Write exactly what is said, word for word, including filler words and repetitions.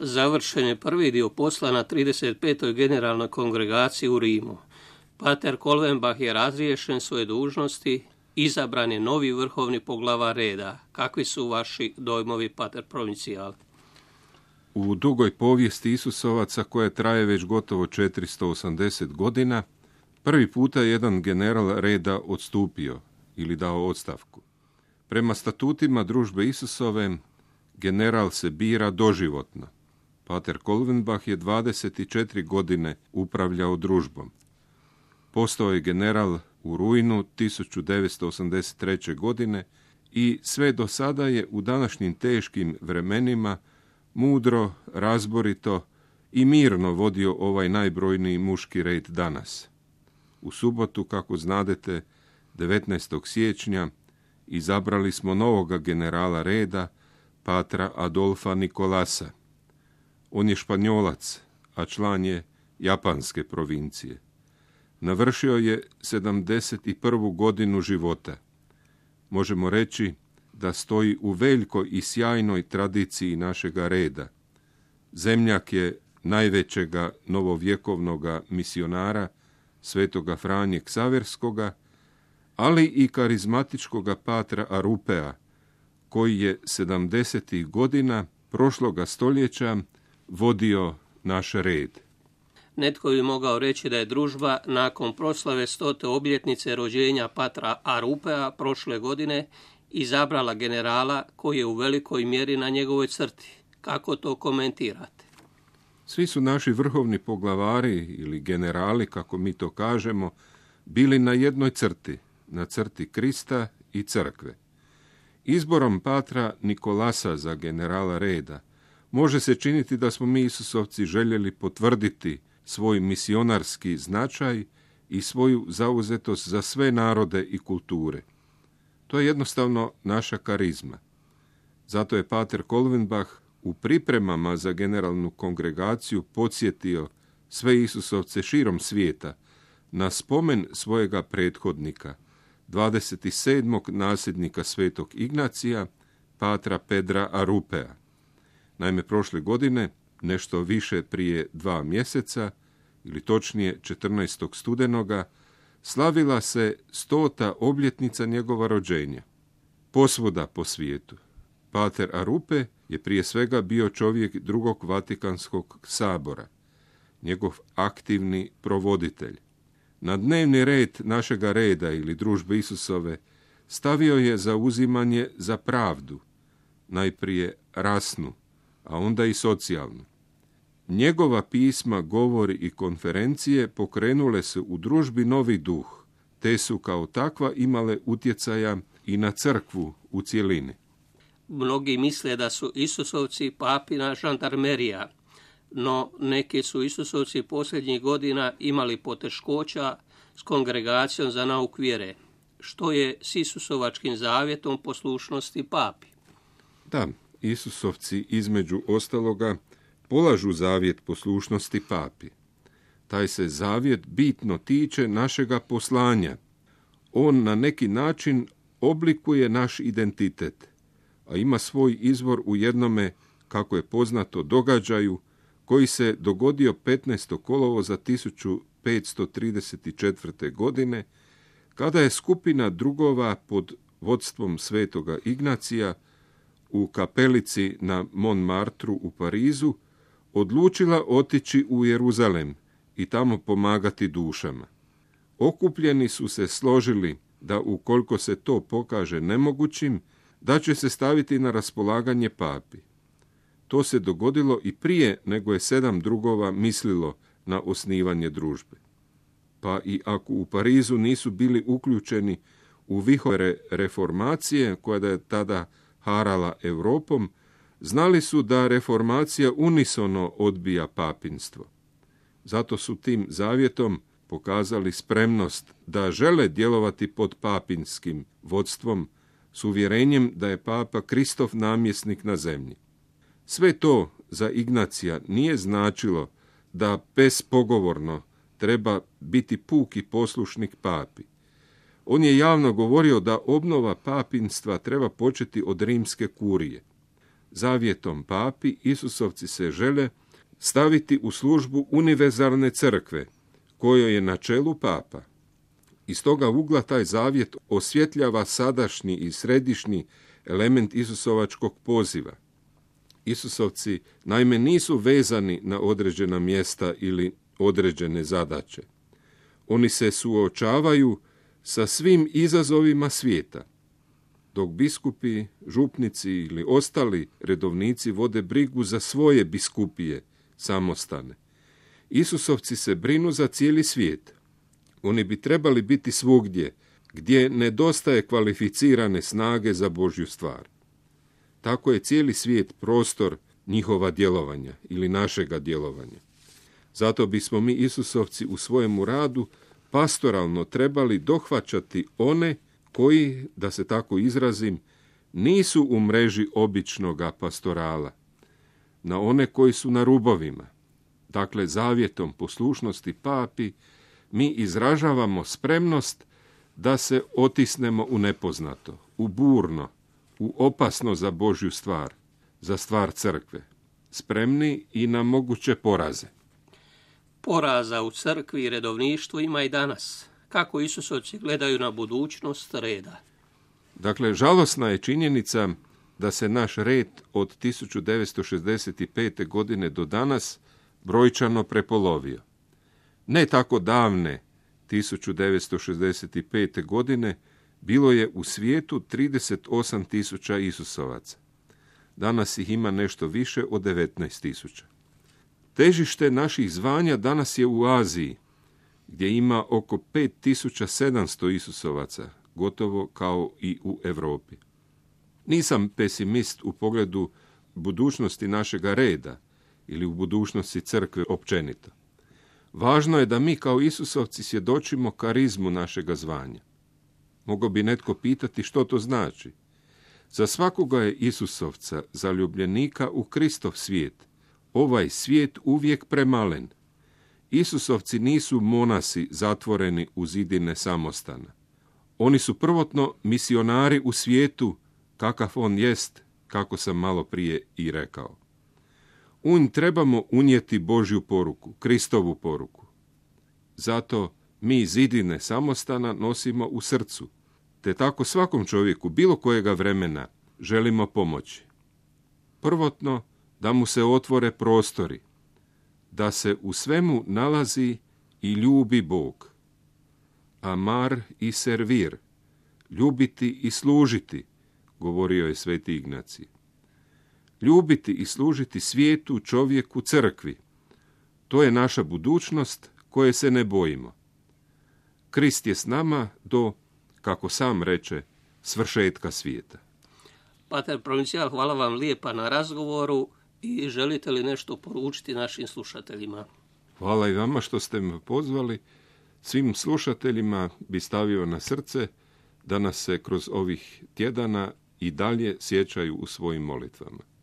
Završen je prvi dio posla na trideset petoj generalnoj kongregaciji u Rimu. Pater Kolvenbach je razriješen svoje dužnosti, izabran je novi vrhovni poglavar reda. Kakvi su vaši dojmovi, pater provincijal? U dugoj povijesti Isusovaca, koja traje već gotovo četiristo osamdeset godina, prvi puta je jedan general reda odstupio ili dao ostavku. Prema statutima družbe Isusove, general se bira doživotno. Pater Kolvenbach je dvadeset četiri godine upravljao družbom. Postao je general u rujnu tisuću devetsto osamdeset treće. godine i sve do sada je u današnjim teškim vremenima mudro, razborito i mirno vodio ovaj najbrojniji muški red danas. U subotu, kako znadete, devetnaestog siječnja, izabrali smo novoga generala reda, patra Adolfa Nikolasa. On je Španjolac, a član je japanske provincije. Navršio je sedamdeset prvu godinu života. Možemo reći da stoji u velikoj i sjajnoj tradiciji našega reda. Zemljak je najvećega novovjekovnoga misionara, svetoga Franje Ksaverskoga, ali i karizmatičkoga patra Arupea, koji je sedamdesetih godina prošloga stoljeća vodio naš red. Netko bi mogao reći da je družba nakon proslave stote obljetnice rođenja patra Arupea prošle godine izabrala generala koji je u velikoj mjeri na njegovoj crti. Kako to komentirate? Svi su naši vrhovni poglavari ili generali, kako mi to kažemo, bili na jednoj crti, na crti Krista i crkve. Izborom patra Nikolasa za generala reda može se činiti da smo mi Isusovci željeli potvrditi svoj misionarski značaj i svoju zauzetost za sve narode i kulture. To je jednostavno naša karizma. Zato je pater Kolvenbach u pripremama za generalnu kongregaciju podsjetio sve Isusovce širom svijeta na spomen svojega prethodnika, dvadeset sedmog nasljednika svetog Ignacija, patra Pedra Arupea. Naime, prošle godine, nešto više prije dva mjeseca, ili točnije četrnaestog studenoga, slavila se stota obljetnica njegova rođenja. Posvuda po svijetu. Pater Arupe je prije svega bio čovjek drugog Vatikanskog sabora, njegov aktivni provoditelj. Na dnevni red našega reda ili družbe Isusove stavio je zauzimanje za pravdu, najprije rasnu, a onda i socijalnu. Njegova pisma, govori i konferencije pokrenule su u družbi novi duh, te su kao takva imale utjecaja i na crkvu u cjelini. Mnogi misle da su Isusovci papina žandarmerija, no neki su Isusovci posljednjih godina imali poteškoća s kongregacijom za nauk vjere. Što je s Isusovačkim zavjetom poslušnosti papi? Da, Isusovci između ostaloga polažu zavjet poslušnosti papi. Taj se zavjet bitno tiče našega poslanja. On na neki način oblikuje naš identitet, a ima svoj izvor u jednome, kako je poznato, događaju koji se dogodio petnaestog kolovoza tisuću petsto trideset četvrte. godine, kada je skupina drugova pod vodstvom svetoga Ignacija u kapelici na Montmartru u Parizu odlučila otići u Jeruzalem i tamo pomagati dušama. Okupljeni su se složili da ukoliko se to pokaže nemogućim, da će se staviti na raspolaganje papi. To se dogodilo i prije nego je sedam drugova mislilo na osnivanje družbe. Pa i ako u Parizu nisu bili uključeni u vihore reformacije, koja je tada harala Europom, znali su da reformacija unisono odbija papinstvo. Zato su tim zavjetom pokazali spremnost da žele djelovati pod papinskim vodstvom s uvjerenjem da je papa Kristov namjesnik na zemlji. Sve to za Ignacija nije značilo da bespogovorno treba biti puki poslušnik papi. On je javno govorio da obnova papinstva treba početi od rimske kurije. zavjetom papi Isusovci se žele staviti u službu univerzalne crkve, kojoj je na čelu papa. Iz toga ugla taj zavjet osvjetljava sadašnji i središnji element Isusovačkog poziva. Isusovci naime nisu vezani na određena mjesta ili određene zadaće. Oni se suočavaju sa svim izazovima svijeta, dok biskupi, župnici ili ostali redovnici vode brigu za svoje biskupije, samostane. Isusovci se brinu za cijeli svijet. Oni bi trebali biti svugdje, gdje nedostaje kvalificirane snage za Božju stvar. Tako je cijeli svijet prostor njihova djelovanja ili našega djelovanja. Zato bismo mi Isusovci u svojemu radu pastoralno trebali dohvaćati one koji, da se tako izrazim, nisu u mreži običnoga pastorala, na one koji su na rubovima. Dakle, zavjetom poslušnosti papi mi izražavamo spremnost da se otisnemo u nepoznato, u burno, u opasno za Božju stvar, za stvar crkve, spremni i na moguće poraze. Poraza u crkvi i redovništvu ima i danas. Kako Isusovci gledaju na budućnost reda? Dakle, žalosna je činjenica da se naš red od tisuću devetsto šezdeset pete. godine do danas brojčano prepolovio. Ne tako davne tisuću devetsto šezdeset pete. godine bilo je u svijetu trideset osam tisuća Isusovaca. Danas ih ima nešto više od devetnaest tisuća. Težište naših zvanja danas je u Aziji, gdje ima oko pet tisuća sedamsto Isusovaca, gotovo kao i u Europi. Nisam pesimist u pogledu budućnosti našega reda ili u budućnosti crkve općenito. Važno je da mi kao Isusovci svjedočimo karizmu našega zvanja. Mogao bi netko pitati što to znači. Za svakoga je Isusovca, zaljubljenika u Kristov svijet, ovaj svijet uvijek premalen. Isusovci nisu monasi zatvoreni u zidine samostana. Oni su prvotno misionari u svijetu, kakav on jest, kako sam malo prije i rekao. U njih trebamo unijeti Božju poruku, Kristovu poruku. Zato mi zidine samostana nosimo u srcu, te tako svakom čovjeku, bilo kojega vremena, želimo pomoći. Prvotno, da mu se otvore prostori, da se u svemu nalazi i ljubi Bog. Amar i servir, ljubiti i služiti, govorio je sveti Ignacij. Ljubiti i služiti svijetu, čovjeku, crkvi. To je naša budućnost koje se ne bojimo. Krist je s nama do, kako sam reče, svršetka svijeta. Pater Provincijal, hvala vam lijepa na razgovoru i želite li nešto poručiti našim slušateljima? Hvala i vama što ste me pozvali. Svim slušateljima bi stavio na srce da nas se kroz ovih tjedana i dalje sjećaju u svojim molitvama.